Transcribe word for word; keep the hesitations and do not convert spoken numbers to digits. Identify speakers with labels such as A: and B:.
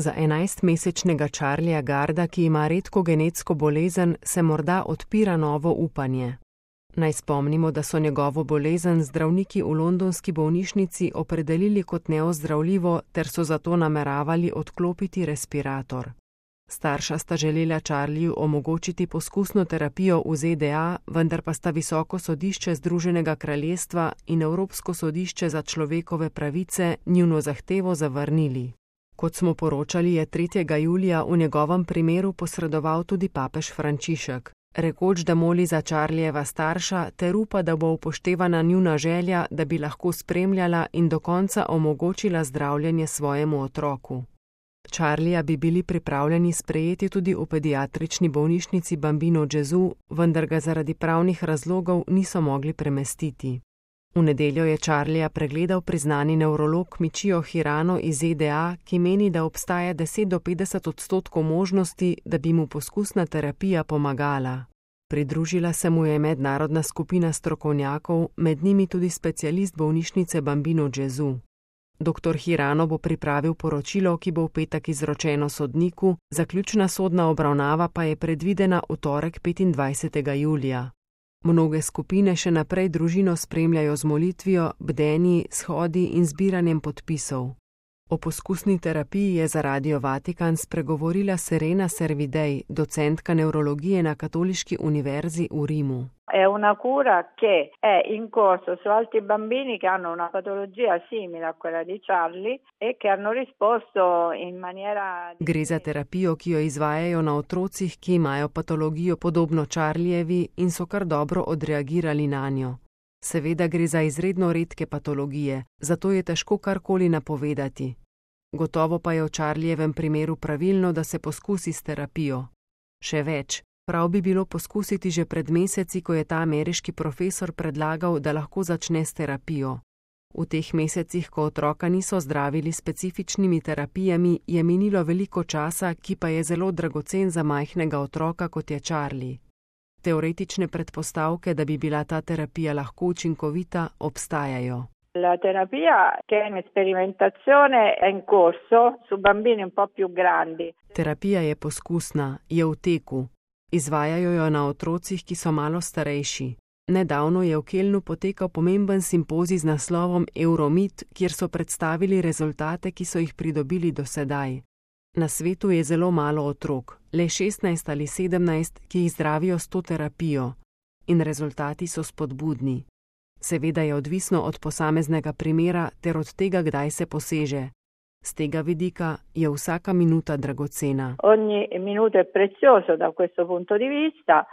A: Za enajstmesečnega Charlieja Garda, ki ima redko genetsko bolezen, se morda odpira novo upanje. Naj spomnimo, da so njegovo bolezen zdravniki v londonski bolnišnici opredelili kot neozdravljivo ter so zato nameravali odklopiti respirator. Starša sta želela Charlieju omogočiti poskusno terapijo v Z D A, vendar pa sta Visoko sodišče Združenega kraljestva in Evropsko sodišče za človekove pravice njuno zahtevo zavrnili. Kot smo poročali, je tretjega julija v njegovem primeru posredoval tudi papež Frančišek, rekoč, da moli za Charliejeva starša ter upa, da bo upoštevana njuna želja, da bi lahko spremljala in do konca omogočila zdravljenje svojemu otroku. Charlieja bi bili pripravljeni sprejeti tudi v pediatrični bolnišnici Bambino Gesù, vendar ga zaradi pravnih razlogov niso mogli premestiti. V nedeljo je Charlieja pregledal priznani nevrolog Michio Hirano iz Z D A, ki meni, da obstaja deset do petdeset odstotkov možnosti, da bi mu poskusna terapija pomagala. Pridružila se mu je mednarodna skupina strokovnjakov, med njimi tudi specialist bolnišnice Bambino Gesù. Doktor Hirano bo pripravil poročilo, ki bo v petek izročeno sodniku, zaključna sodna obravnava pa je predvidena v torek petindvajsetega julija. Mnoge skupine še naprej družino spremljajo z molitvijo, bdenji, shodi in zbiranjem podpisov. O poskusni terapiji je za Radio Vatikan spregovorila Serena Servidej, docentka nevrologije na Katoliški univerzi v Rimu.
B: È una cura che è in corso su altri bambini che hanno una patologia simile a quella di Charlie e che hanno risposto in maniera...
A: Gre za terapijo, ki jo izvajajo na otrocih, ki imajo patologijo podobno Charliejevi in so kar dobro odreagirali nanjo. Seveda gre za izredno redke patologije, zato je težko karkoli napovedati. Gotovo pa je v Charliejevem primeru pravilno, da se poskusi s terapijo. Še več. Prav bi bilo poskusiti že pred meseci, ko je ta ameriški profesor predlagal, da lahko začne s terapijo. V teh mesecih, ko otroka niso zdravili specifičnimi terapijami, je minilo veliko časa, ki pa je zelo dragocen za majhnega otroka, kot je Charlie. Teoretične predpostavke, da bi bila ta terapija lahko učinkovita, obstajajo.
B: La terapia che è in sperimentazione è in corso su bambini un po' più grandi.
A: Terapija je poskusna, je v teku. Izvajajo jo na otrocih, ki so malo starejši. Nedavno je v Kelnu potekal pomemben simpozij z naslovom Euromit, kjer so predstavili rezultate, ki so jih pridobili do sedaj. Na svetu je zelo malo otrok, le šestnajst ali sedemnajst, ki jih zdravijo s to terapijo. In rezultati so spodbudni. Seveda je odvisno od posameznega primera ter od tega, kdaj se poseže. Z tega vidika je vsaka minuta dragocena.
B: Ogni minuto è prezioso da questo punto di vista